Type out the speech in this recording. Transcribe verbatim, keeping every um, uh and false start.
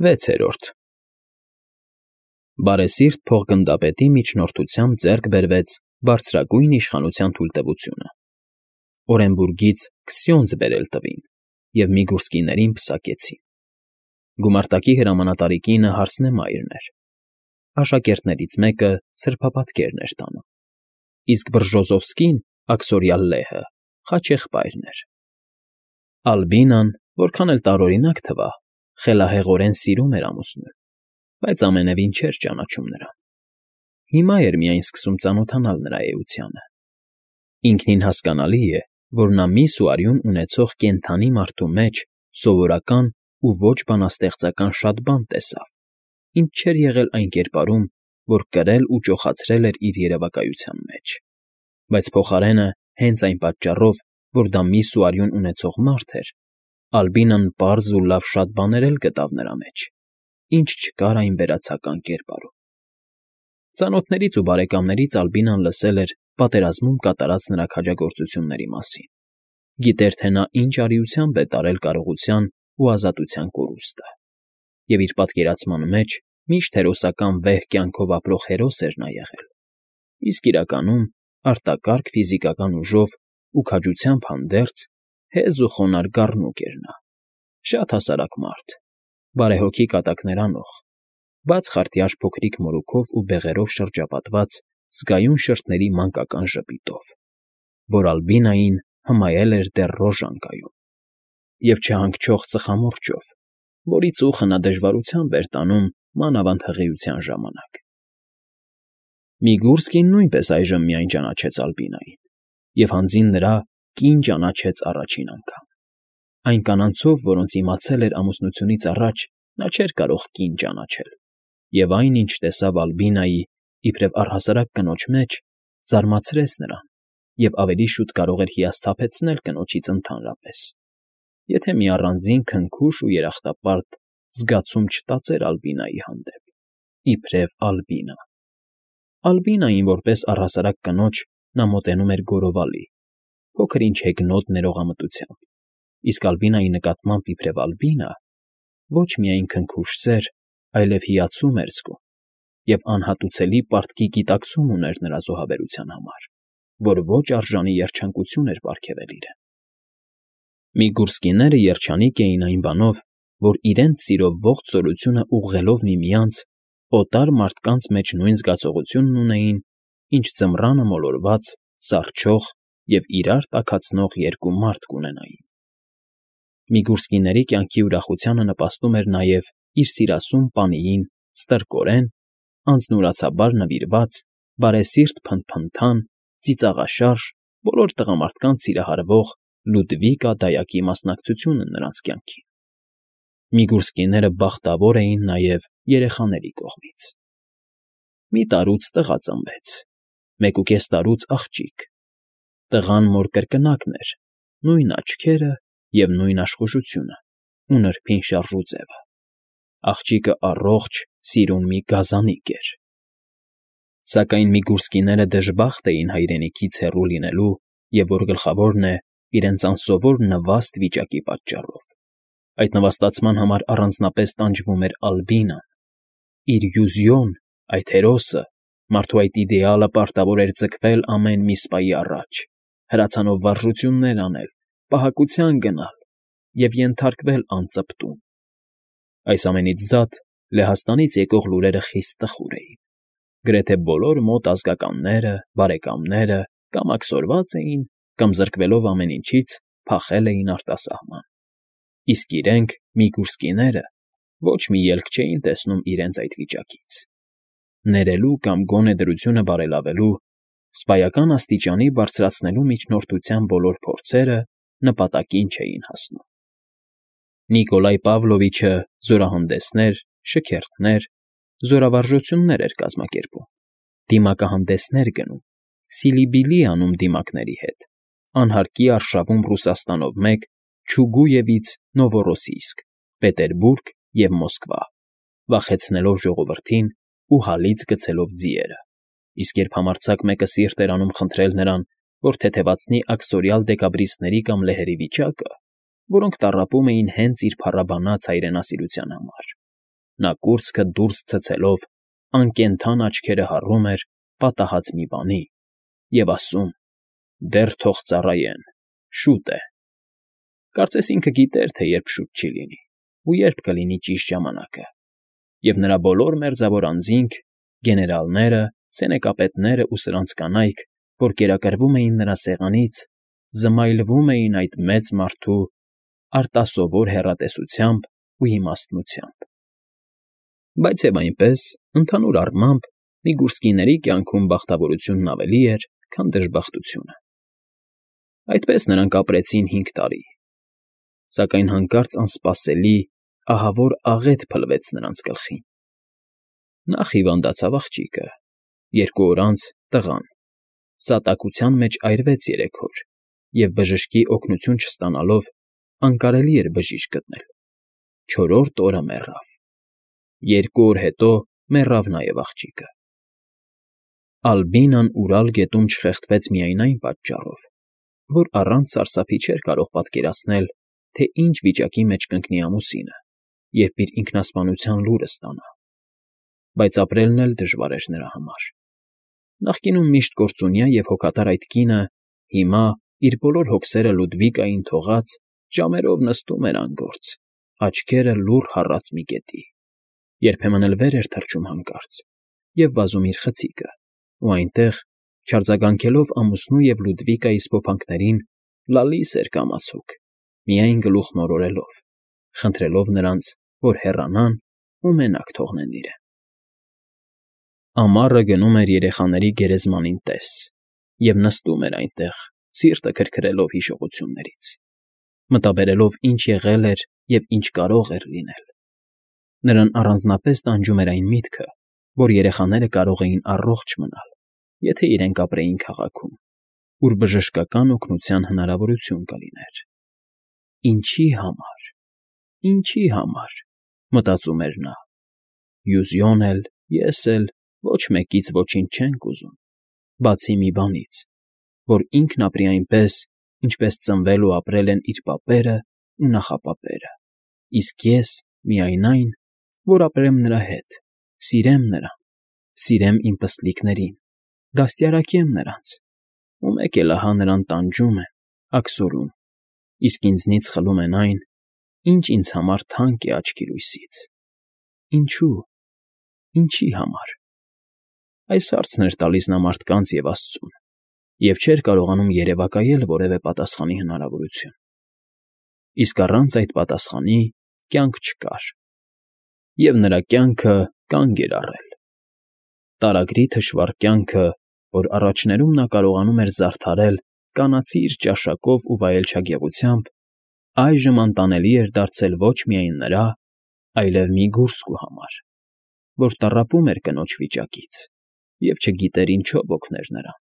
Վեցերորդ Բարեսիրտ փոխգնդապետի միջնորդությամբ ձեռք բերվեց բարձրագույն իշխանության թույլտվությունը, Օրենբուրգից Քսյոնզ բերել տվին և Միգուրսկիներին պսակեցին. գումարտակի հրամանատարի կինը հարսնեմայրն էր, աշակերտներից մեկը սրբապատկերն էր տանում, իսկ Բրժոզովսկին, աքսորյալ լեհը, խաչեղբայրն էր. Ալբինան, որքան էլ տարօրինակ թվա, խելահեղորեն սիրում էր ամուսնուն, բայց ամենևին չէր ճանաչում նրան. հիմա էր միայն սկսում ծանոթանալ նրա էությանը. ինքնին հասկանալի է, որ նա միս ու արյուն ունեցող կենդանի մարդու մեջ սովորական ու ոչ բանաստեղծական շատ բան տեսավ, ինչ չէր եղել այն կերպարում, որ կրել ու ճոխացրել էր իր երևակայության մեջ, բայց փոխարենը հենց այն պատճառով, որ դա միս ու արյուն ունեցող մարդ էր, Ալբինան պարզ ու լավ շատ բաներ էլ գտավ նրա մեջ, ինչ չկար այն վերացական կերպարում. Ծանոթներից ու բարեկամներից Ալբինան լսել էր պատերազմում կատարած նրա քաջագործությունների մասին, գիտեր, թե նա ինչ արիությամբ է տարել կարողության ու ազատության կորուստը, և իր պատկերացման մեջ միշտ հերոսական վեհ կյանքով ապրող հերոս էր նա եղել, իսկ իրականում արտակարգ ֆիզիկական ուժով ու քաջությամբ հանդերձ հեզ ու խոնարհ գառնուկ էր նա, շատ հասարակ մարդ, բարեհոգի կատակներ անող, բաց խարտյաշ փոքրիկ մորուքով ու բեղերով շրջապատված զգայուն շրթների մանկական ժպիտով, որ Ալբինային հմայել էր դեռ ռոժան գայում, և չհանգչող ծխամորճով, որի ծուխը նա դժվարությամբ էր տանում մանավանդ հղիության ժամանակ։ Միգուրսկին նույնպես այժմ միայն ճանաչեց Ալբինային, և հանձին նրա կին ճանաչեց առաջին անգամ. այն կանանցով, որոնց իմացել էր ամուսնությունից առաջ, նա չէր կարող կին ճանաչել, և այն, ինչ տեսավ Ալբինայի, իբրև առհասարակ կնոջ մեջ, զարմացրեց նրան և ավելի շուտ կարող էր հիասթափեցնել կնոջից ընդհանրապես, եթե մի առանձին քնքուշ ու երախտապարտ զգացում չտածեր Ալբինայի հանդեպ, իբրև Ալբինա. Ալբինային որպես առհասարակ կնոջ նա մոտենում էր գոռովալի, փոքր֊ինչ հեգնոտ ներողամտությամբ, իսկ Ալբինայի նկատմամբ իբրև Ալբինա ոչ միայն քնքուշ սեր, այլև հիացում էր զգում և անհատուցելի պարտքի գիտակցում ուներ նրա զոհաբերության համար, որ ոչ արժանի երջանկություն էր պարգևել իրեն։ Միգուրսկիները երջանիկ էին այն բանով, որ իրենց սիրով ողջ զորությունը ուղղելով միմյանց, օտար մարդկանց մեջ նույն զգացողությունն ունեին, ինչ ձմռանը մոլորված, սառչող և իրար տաքացնող երկու մարդ կունենային։ Միգուրսկիների կյանքի ուրախությանը նպաստում էր նաև իր սիրասուն պանիին ստրկորեն, անձնուրացաբար նվիրված, բարեսիրտ փնթփնթան, ծիծաղաշարժ, բոլոր տղամարդկանց սիրահարվող Լյուդվիկա դայակի մասնակցությունը նրանց կյանքին։ Միգուրսկիները բախտավոր էին նաև երեխաների կողմից։ Մի տարուց տղա ծնվեց, մեկուկես տարուց աղջիկ, տղան մոր կրկնակն էր, նույն աչքերը և նույն աշխուժությունը ու նրբին շարժուձևը, աղջիկը առողջ, սիրուն մի գազանիկ էր։ Սակայն Միգուրսկիները դժբախտ էին հայրենիքից հեռու լինելու և, որ գլխավորն է, իրենց անսովոր նվաստ վիճակի պատճառով։ Այդ նվաստացման համար առանձնապես տանջվում էր Ալբինան, իր յուզյոն, այդ հերոսը, մարդու այդ իդեալը պարտավոր էր ձգվել ամեն մի սպայի առաջ, հրացանով վարժություններ անել, պահակության գնալ և ենթարկվել անծպտուն։ Այս ամենից զատ Լեհաստանից եկող լուրերը խիստ տխուր էին. գրեթե բոլոր մոտ ազգականները, բարեկամները կամ աքսորված էին, կամ զրկվելով ամեն ինչից փախել էին արտասահման, իսկ իրենք՝ Միգուրսկիները, ոչ մի ելք չէին տեսնում իրենց այդ վիճակից. ներելու կամ գոնե դրությունը բարելավելու, սպայական աստիճանի բարձրացնելու միջնորդության բոլոր փորձերը նպատակին չէին հասնում։ Նիկոլայ Պավլովիչը զորահանդեսներ, շքերթներ, զորավարժություններ էր կազմակերպում, դիմակահանդեսներ գնում, սիլիբիլի անում դիմակների հետ, անհարկի արշավում Ռուսաստանով մեկ, Չուգուևից Նովորոսիիսկ, Պետերբուրգ և Մոսկվա, վախեցնելով ժողովրդին ու հալից գցելով ձիերը, իսկ երբ համարձակ մեկը սիրտ էր անում խնդրել նրան, որ թեթևացնի աքսորյալ դեկաբրիստների կամ լեհերի վիճակը, որոնք տառապում էին հենց իր փառաբանած հայրենասիրության համար, Նա կուրծքը դուրս ցցելով, անկենդան աչքերը հառում էր պատահած մի բանի և ասում. «Դեռ թող ծառայեն, շուտ է»։ Կարծես ինքը գիտեր, թե երբ շուտ չի լինի ու երբ կլինի ճիշտ ժամանակը, և նրա բոլոր մերձավոր անձինք, գեներալները, սենեկապետներն ու սրանց կանայք, որ կերակրվում էին նրա սեղանից, զմայլվում էին այդ մեծ մարդու արտասովոր հեռատեսությամբ ու իմաստնությամբ։ Բայց և այնպես, ընդհանուր առմամբ, Միգուրսկիների կյանքում բախտավորությունն ավելի էր, քան դժբախտությունը։ Այդպես նրանք ապրեցին հինգ տարի, սակայն հանկարծ անսպասելի, ահավոր աղետ փլվեց նրանց գլխին։ Նախ հիվանդացավ աղջիկը, երկու օր անց՝ տղան, սատակության մեջ այրվեց երեք օր, և բժշկի օգնություն չստանալով անկարելի էր բժիշկ գտնել, չորրորդ օրը մեռավ, երկու օր հետո մեռավ նաև աղջիկը։ ԱլբինանՈւրալ գետում չխեղդվեց միայն այն պատճառով, որ առանց սարսափի չէր կարող պատկերացնել, թե ինչ վիճակի մեջ կընկնի ամուսինը, երբ իր ինքնասպանության լուրը ստանա, բայց ապրելն էլ դժվար էր նրա համար։ Նախկինում միշտ կործունյա և հոգատար այդ կինը հիմա, իր բոլոր հոգսերը Լուդվիկային թողած, ժամերով նստում էր անգործ, աչքերը լուռ հառած մի կետի, երբեմն էլ վեր էր թռչում հանկարծ և վազում իր խցիկը, ու այնտեղ, չարձագանքելով ամուսնու և Լուդվիկայի սփոփանքներին, լալիս էր կամացոկ, միայն գլուխն օրորելով, խնդրելով նրանց, որ հեռանան ու մենակ թողնեն իրեն։ Ամառը գնում էր երեխաների գերեզմանին տես և նստում էր այնտեղ, սիրտը քրքրելով հիշողություններից, մտաբերելով ինչ եղել էր և ինչ կարող էր լինել։ Նրան առանձնապես տանջում էր այն միտքը, որ երեխաները կարող էին առողջ մնալ, եթե իրենք ապրեին քաղաքում, ուր բժշկական օգնության հնարավորություն կլիներ։ Ինչի համար, ինչի համար, մտածում էր նա, Յուզիոն էլ, ես էլ ոչ մեկից ոչինչ չենք ուզում, բացի մի բանից, որ ինքն ապրի այնպես, ինչպես ծնվել ու ապրել են իր պապերն ու նախապապերը, իսկ ես միայն այն, որ ապրեմ նրա հետ, սիրեմ նրան, սիրեմ իմ պստլիկներին, դաստիարակեմ նրանց, ու մեկ էլ ահա նրան տանջում են, աքսորում, իսկ ինձնից խլում են այն, ինչ ինձ համար թանկ է աչքի լույսից։ Ինչո՞ւ, ինչի համար։ Այս հարցն էր տալիս նա մարդկանց և աստծուն, և չէր կարողանում երևակայել որևէ պատասխանի հնարավորություն։ Իսկ առանց այդ պատասխանի կյանք չկար, և նրա կյանքը կանգ էր առել։ Տարագրի թշվառ կյանքը, որ առաջներում նա կարողանում էր զարդարել կանացիր ճաշակով ու վայելչագեղությամբ, այժմ անտանելի էր դարձել ոչ միայն նրա, այլև Միգուրսկու համար, որ տառապում էր կնոջ վիճակից և չգիտեր ինչով օգներ նրան։